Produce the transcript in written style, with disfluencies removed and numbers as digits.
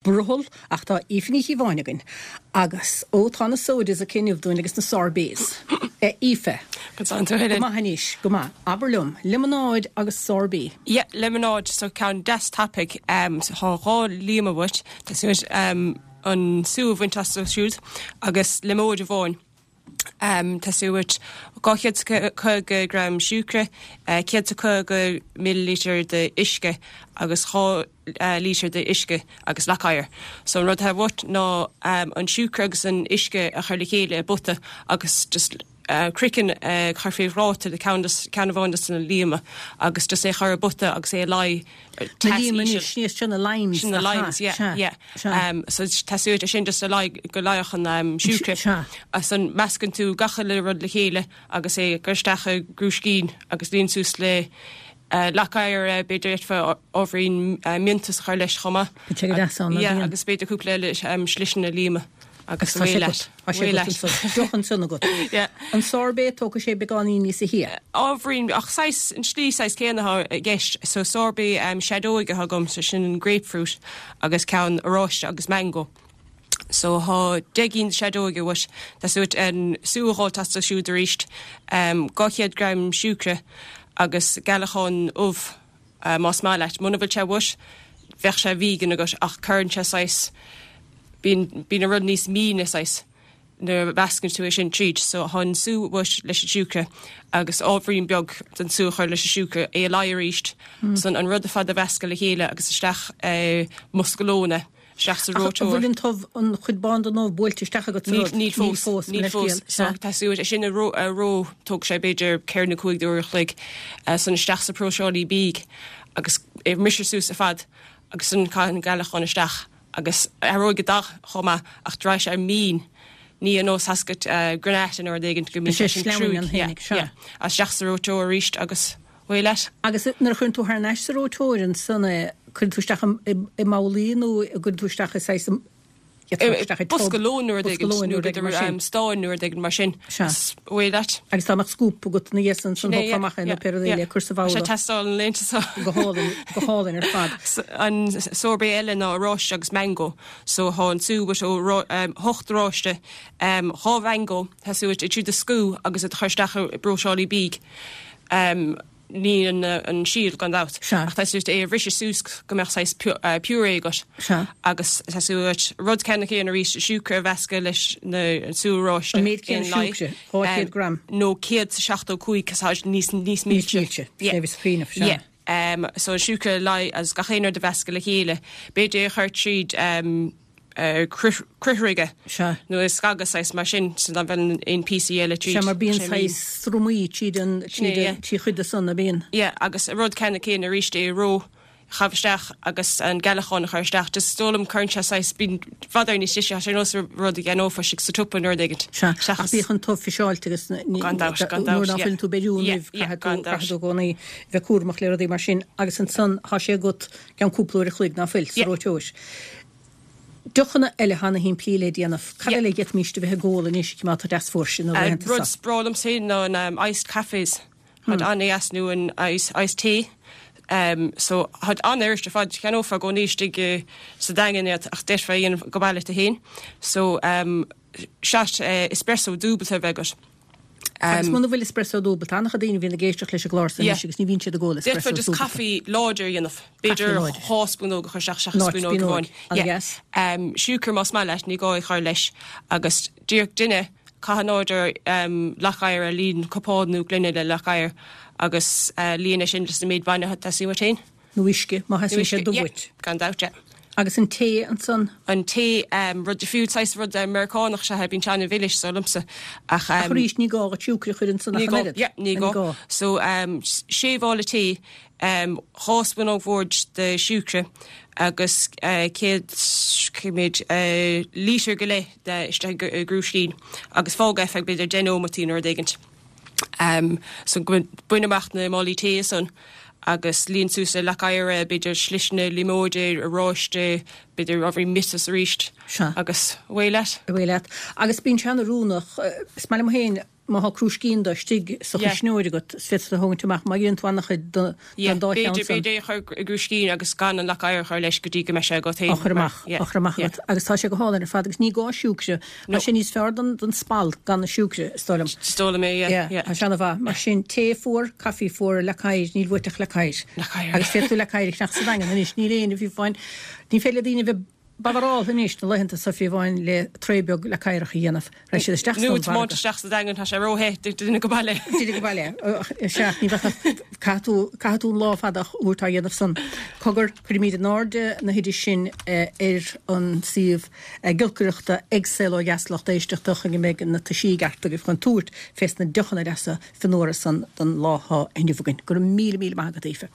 Brothall, ach tá Aoife Ní Chíobháin againn agus, ó, tá na sodas aici inniu dúinn agus na sorbets. A Aoife. Go dtánn tú, Helen. Go maith anois, go maith. Abair liom, liomanáid agus sorbet. Yeah, liomanáid, so ceann deas tapaidh. So tá dhá líoma uait, tá uait an sú a bhaint astu siúd agus liomóid amháin. Teastaíonn uait 250 gram siúcra, 150 millilítear de uisce agus 2 lítear de uisce agus leac oighir. So an rud atá uait ná an siúcra agus an uisce a chur le chéile i bpota agus just craiceann a chur fé phláta de ceann amháin de na líoma agus just é a chur i bpota agus é a leí Na líoma anois, ní sin na limes. Sin na limes, yeah, yeah. So teastaíonn uait é sin just a leí go leáfadh an siúcra. Sea. Ansan meascann tú gach uile rud le chéile agus é a chur isteach i gcrúiscín agus líon suas le leac oighir é, b'fhéidir d'fhéadfá ábhairín miontais a chur leis chomh maith. Bíonn sé go deas ann, Yeah, agus b'fhéidir cúpla eile sliseanna líoma. Agus tá sé agat. Tá sé agat ansan. Deoch ansan agat. Yeah. An sorbet, tógfaidh sé beagáinín níosa shia. Ábhairín, ach saghas, an slí saghas céanna atá i gceist. So sorbet seadóige atá agam, so sin an grapefruit agus ceann oráiste agus mango. So thá 10 gcinn de seadóige uait. Teastaíonn uait an sú a dh'fháilt astu siúd arís. 200 gram siúcra agus gealachán ubh. Más maith leat. Muna bhfuil sé uait, bheadh sé vegan agat ach cuireann sé saghas, bíonn, bíonn an rud níos míne saghas nuair a mheascann tú é sin tríd. So thá an sú uait leis an siúcra agus ábhairín beag den sú a chur leis an siúcra, é a leí arís. San an rud ar fad a mheascadh le chéile agus isteach i mbosca lóin é. isteach sa Ach an reoiteoir. bhfuil an t-ubh, an chuid bán den ubh buailte isteach agat sa Níl, rud? níl fós, Níl fós, níl mo fós. leithscéal. So Sea. teastaíonn uait é sin a reo, a reo, tógfaidh sé b'fhéidir ceithre nó cúig d'uair a chloig, san isteach sa próiseálaí bídh agus é bhriseadh suas ar fad agus san caith an gealachán isteach agus athróidh an dath chomh maith ach raghaidh sé mín, ní ar nós tá's agat granita nó rud éigin go mbíonn Sé sé sin sleamhain cruaidh. an Yeah, fhéinig, sea. yeah. Agus isteach sa reoiteoir arís agus away leat. Agus nuair a chuireann tú thar n-ais sa reoiteoir ansan é, cuireann tú isteach i mbabhlaí nó an gcuireann tú isteach i saghas, isteach i tub, bosca lóin nó rud éigin, nó b'fhéidir stán nó rud éigin mar sin. Sea. Away leat. Agus dá mbeadh scoop agat ina dhiaidh san ansan thógfá amach é nó pé rud é le cur sa bhabhla. Tá sé ag teastáil na laethanta seo. Go hálainn, go hálainn ar fad. An sorbet eile ná oráiste agus mango. So thá an sú uait ó hocht oráiste, dhá mhango, teastaíonn uait iad siúd a scú agus iad a chur isteach i bpróiseálaí bídh. Ní an síol gan dabht. Sea. Ach teastaíonn uait é a bhriseadh suas go mbeadh saghas purée agat. Sea. Agus teastaíonn uait rud ceannann céanna arís, siúcra a mheascadh leis na sú oráiste. An méid céanna siúcra, 200 gram. Nó 175 cos tá níos níos milse. Níos milse, Yeah. sin é bhí sa chuimhneamh, sea. Yeah. So an siúcra a leí agus gach aon rud a mheascadh le chéile. B'fhéidir é a chur tríd criomhthriogadh Sea. nó a scagadh saghas mar sin so nach bhfuil aon píosaí eile tríd. Sea, mar bíonn saghas sramaí tríd an, Sin é, tríd yeah. an, trí chuid de san, a bíonn. Yeah, agus an rud ceannann céanna arís é a reo, chaitheamh isteach agus an gealachán a chur isteach. Just is dóigh liom cuireann sé saghas, bíonn i bhfad níos deise, tá sé ar nós rud a cheannófá istigh sa tsiopa nó rud éigin. Sea, ach bíodh an t-ubh fiseáilte agus ní, Gan dabht, gan dabht, nuair ná yeah. fuileann tú ag beiriú an Yeah, uibh, yeah, caithfidh tú, gan dabht. caithfidh tú i gcónaí bheith cúramach le rudaí mar sin agus ansan thá sé agat gceann cúpla uair a chloig ná fuil, sa Yeah. reoiteoir. Deochanna eile atá ana shimplí le déanamh. Cad Yeah. eile a d'fhéadfaimíst a bheith ag ól anois má tá deas fuar sin na laethanta Rud seo? is breá liom féin ná an um, iced cafes. Táid an-dheas nó an ice, iced tea. Um, so táid an-fhuirist ar fad cheannófá i gcónaí istigh i- sa Daingean iad ach d'fhéadfá a dhéanamh go maith leat féin. So um, shot uh, espresso dúbalta a bheith agat. Agus muna bhfuil espresso dúbalta, tá an-chuid daoine a bhíonn ag éisteacht leis an gclár seo anois agus ní bhíonn siad ag ól D'fhéadfá espresso just dúbalta. caife láidir a dhéanamh. B'fhéidir láidir. dhá spúnóg a chur isteach seachas Ná spúnóg spúnóg. amháin. An-dheas. Um, siúcra más maith leat, ní gá é chur leis. Agus díreach duine, caith in airde um, leac oighir ar líon cupán nó gloine le leac oighir agus uh, líon é sin leis an méid bainne atá teastaíonn uait féin. Nó uisce, má theastaíonn sé dubh Yeah, uait. Gan dabht, yeah. Agus an tae ansan? An tae, rud difriúil, saghas rud Meiriceánach is ea, bíonn sé an-mhilis, dar liomsa. Ach, Ach arís, ní gá dhuit siúcra a chur ansan ní ach an gá, oiread. yeah, ní Ní gá. gá. So, sé mhála tae, dhá spúnóg bhoird de siúcra agus céad, cé mhéad, lítear go leith de isteach i gcrúiscín agus fág é feadh b'fhéidir deich nóimeataí nó rud éigint. So bain amach na málaí tae ansan agus líon suas le leac oighir é, b'fhéidir sliseanna líomóide, oráiste, b'fhéidir ábhairín miotais arís Sea. agus away leat. Away leat. Agus bíonn sé an-oiriúnach, is maith liom féin. má thá crúiscín de istigh sa chuisneoir agat, is féidir a thógaint amach má dheineann tú an-chuid den dá cheann san. B'fhéidir é a chur i gcrúiscín agus gan an leac oighir a chur leis go dtí go mbeidh sé agat féin. Á chur amach, á chur amach agat. Agus tá sé go hálainn ar fad agus ní gá siúcra. Tá sé níos fearr don don spalp gan na siúcra, is dóigh liom. Is dóigh liom é, yeah, yeah. Tá sé ana-mhaith. Mar sin, tae fuar, caife fuar, leac oighir, níl uait ach leac oighir. Leac oighir. Agus féadfaidh tú leac oighir a cheannach sa Daingean anois, níl éinne, fiú amháin, ní féidir le daoine a bheith Badaráltha anois na laethanta so fiú amháin le tray beag leac oighreach a dhéanamh. Raghaidh siad isteach san mhargadh. Nó tiomáint isteach sa Daingean, tá sé ró-the duine go baile. Duine go baile. Sea, ní bheadh ach, caithfidh tú, caithfidh tú an lá fada a thabhairt á dhéanamh san. Cogar, cuirfimid in airde na hoidis sin ar an suíomh giolcaireachta ag Saol Ó Dheas lucht éisteachta chun go mbeidh na toisí i gceart agaibh chun tabhairt fés na deochanna deasa fionnuara san don lá 'thá inniu againn. Go raibh míle míle maith agat Aoife.